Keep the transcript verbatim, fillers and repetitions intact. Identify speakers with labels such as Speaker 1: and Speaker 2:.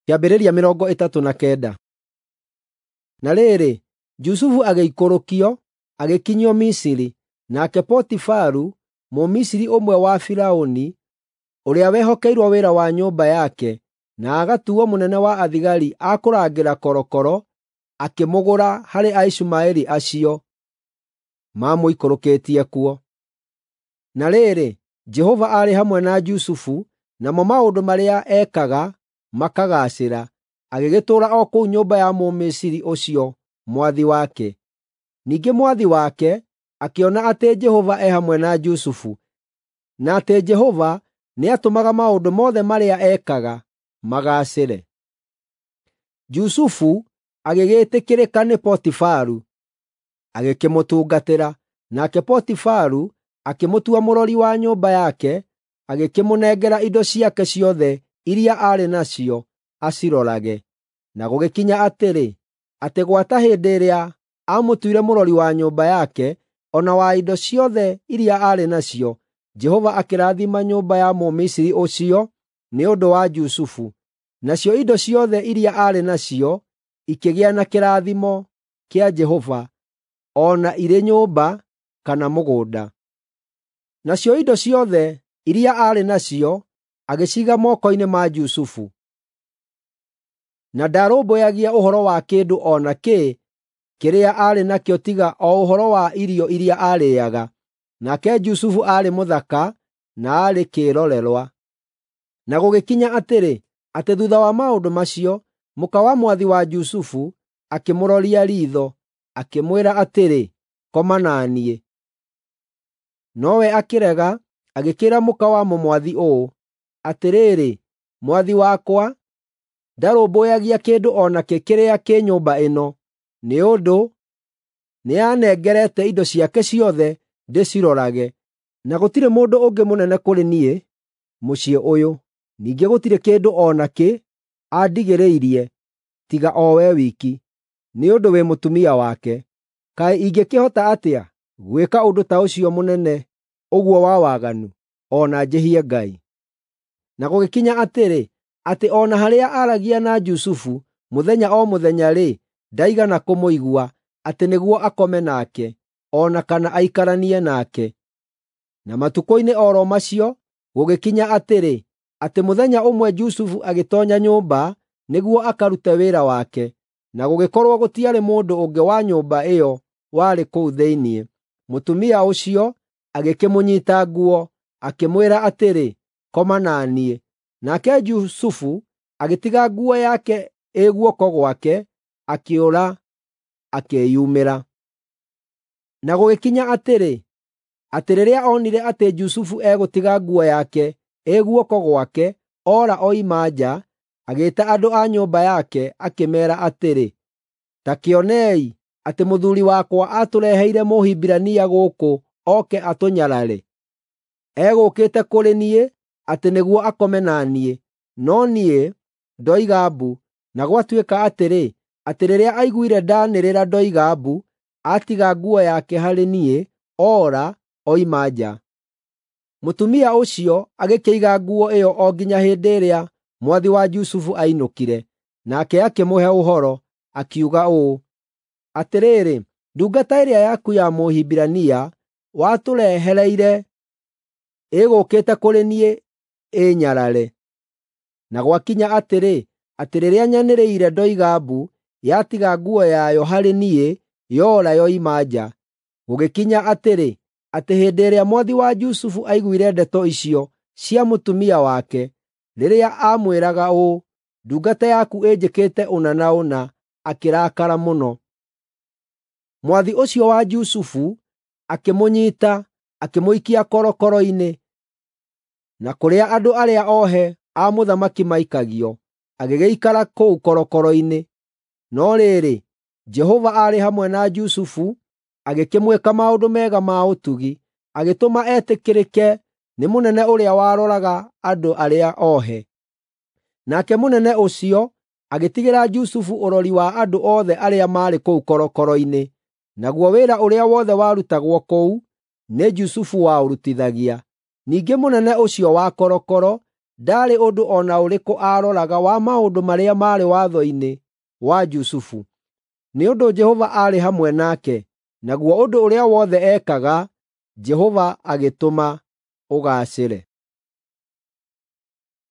Speaker 1: Kĩambĩrĩria mĩrongo ĩtatũ na kenda. Na rĩrĩ, Jusufu agĩikũrũkio, agĩkinyio Misiri, nake Potifaru, Mũmisiri ũmwe wa Firaũni, ũrĩa wehokeirwo wĩra wa nyũmba yake, na agatuuo mũnene wa athigari a kũrangĩra korokoro, akĩmũgũra harĩ Aishumaeli acio maamũikũrũkĩtie kuo. Na rĩrĩ, Jehova aarĩ hamwe na Jusufu, namo maũndũ marĩa ekaga makagaacĩra, agĩgĩtũũra o kũu nyũmba ya Mũmisiri ũcio mwathi wake. Ningĩ mwathi wake akĩona atĩ Jehova e hamwe na Jusufu, na atĩ Jehova nĩatũmaga maũndũ mothe marĩa ekaga magaacĩre. Jusufu agĩgĩĩtĩkĩrĩka nĩ Potifaru, agĩkĩmũtungatĩra, nake Potifaru akĩmũtua mũrori wa nyũmba yake, agĩkĩmũnengera indo ciake ciothe iria aarĩ nacio acirorage. Na gũgĩkinya atĩrĩ, atĩ gwata hĩndĩ ĩrĩa aamũtuire mũrori wa nyũmba yake, o na wa indo ciothe iria aarĩ nacio, Jehova akĩrathima nyũmba ya Mũmisiri ũcio nĩ ũndũ wa Jusufu. Nacio indo ciothe iria aarĩ nacio ikĩgĩa na kĩrathimo kĩa Jehova, o na irĩ nyũmba kana mũgũnda. Nacio indo ciothe iria aarĩ nacio agĩciiga moko-inĩ ma Jusufu. Na ndarũmbũyagia ũhoro wa kĩndũ o na kĩ kĩrĩa aarĩ nakĩo tiga o ũhoro wa irio iria aarĩĩaga. Nake Jusufu aarĩ mũthaka na aarĩ kĩĩrorerwa. Na gũgĩkinya atĩrĩ, atĩ thuutha wa maũndũ macio, mũka wa mwathi wa Jusufu akĩmũroria riitho, akĩmwĩra atĩrĩ, “Koma na niĩ.” Nowe akĩrega, agĩkĩĩra mũka wa mũmwathi ũũ, “Atĩrĩrĩ, mwathi wakwa ndarũmbũyagia kĩndũ o nakĩ kĩrĩa kĩ nyũmba ĩno, nĩ ũndũ nĩanengerete indo ciake ciothe ndĩcirorage, na gũtirĩ mũndũ ũngĩ mũnene kũrĩ niĩ mũciĩ ũyũ. Ningĩ gũtirĩ kĩndũ o nakĩ andigĩrĩirie tiga o we wiki, nĩ ũndũ wĩ mũtumia wake. Kaĩ ingĩkĩhota atĩa gwĩka ũndũ ta ũcio mũnene ũguo wa waganu, o na njĩhie Ngai?” Na gũgĩkinya atĩrĩ, atĩ o na harĩa aaragia na Jusufu mũthenya o mũthenya-rĩ, ndaigana kũmũigua, atĩ nĩguo akome nake, o na kana aikaranie nake. Na matukũ-inĩ o ro macio gũgĩkinya atĩrĩ, atĩ mũthenya ũmwe Jusufu agĩtoonya nyũmba nĩguo akarute wĩra wake, na gũgĩkorwo gũtiarĩ mũndũ ũngĩ wa nyũmba ĩyo warĩ kũu thĩinĩ. Mũtumia ũcio agĩkĩmũnyiita nguo, akĩmwĩra atĩrĩ, “Koma na niĩ.” Nake Jusufu agĩtiga nguo yake ĩ guoko gwake, akĩũra, akĩĩyumĩra. Na gũgĩkinya atĩrĩ, atĩ rĩrĩa onire atĩ Jusufu egũtiga nguo yake ĩ guoko gwake, oora oima nja, agĩĩta andũ a nyũmba yake, akĩmeera atĩrĩ, “Ta kĩonei atĩ mũthuuri wakwa atũreheire Mũhibirania gũkũ oke atũnyarare. Egũũkĩte kũrĩ niĩ atĩ nĩguo akome na niĩ, no niĩ ndoiga mbu. Na gwatuĩka atĩrĩ, atĩ rĩrĩa aiguire ndaanĩrĩra ndoiga mbu, atiga nguo yake harĩ niĩ, oora, oima nja.” Mũtumia ũcio agĩkĩiga nguo ĩyo o nginya hĩndĩ ĩrĩa mwathi wa Jusufu ainũkire. Nake akĩmũhe ũhoro, akiuga ũũ, “Atĩrĩrĩ, ndungata ĩrĩa yaku ya Mũhibirania watũrehereire ĩgũũkĩte kũrĩ niĩ ĩĩnyarare. Na gwakinya atĩrĩ, atĩ rĩrĩa nyanĩrĩire ndoiga mbu, yatiga nguo yayo harĩ niĩ, yoora yoima nja.” Gũgĩkinya atĩrĩ, atĩ hĩndĩ ĩrĩa mwathi wa Jusufu aiguire ndeto icio cia mũtumia wake, rĩrĩa aamwĩraga ũũ, “Ndungata yaku ĩnjĩkĩte ũna na ũna,” akĩrakara mũno. Mwathi ũcio wa Jusufu akĩmũnyiita, akĩmũikia korokoro-inĩ, na kũrĩa andũ arĩa ohe a mũthamaki maikagio, agĩgĩikara kũu korokoro-inĩ. No rĩrĩ, Jehova aarĩ hamwe na Jusufu, agĩkĩmwĩka maũndũ mega ma ũtugi, agĩtũma etĩkĩrĩke nĩ mũnene ũrĩa waroraga andũ arĩa ohe. Nake mũnene ũcio agĩtigĩra Jusufu ũrori wa andũ othe arĩa maarĩ kũu korokoro-inĩ. Naguo wĩra ũrĩa wothe warutagwo kũu nĩ Jusufu waũrutithagia. Ningĩ mũnene ũcio wa korokoro Ndaarĩ ũndũ o na ũrĩkũ aaroraga wa maũndũ marĩa maarĩ watho-inĩ wa Jusufu, nĩ ũndũ Jehova aarĩ hamwe nake, naguo ũndũ ũrĩa wothe ekaga, Jehova agĩtũma ũgaacĩre.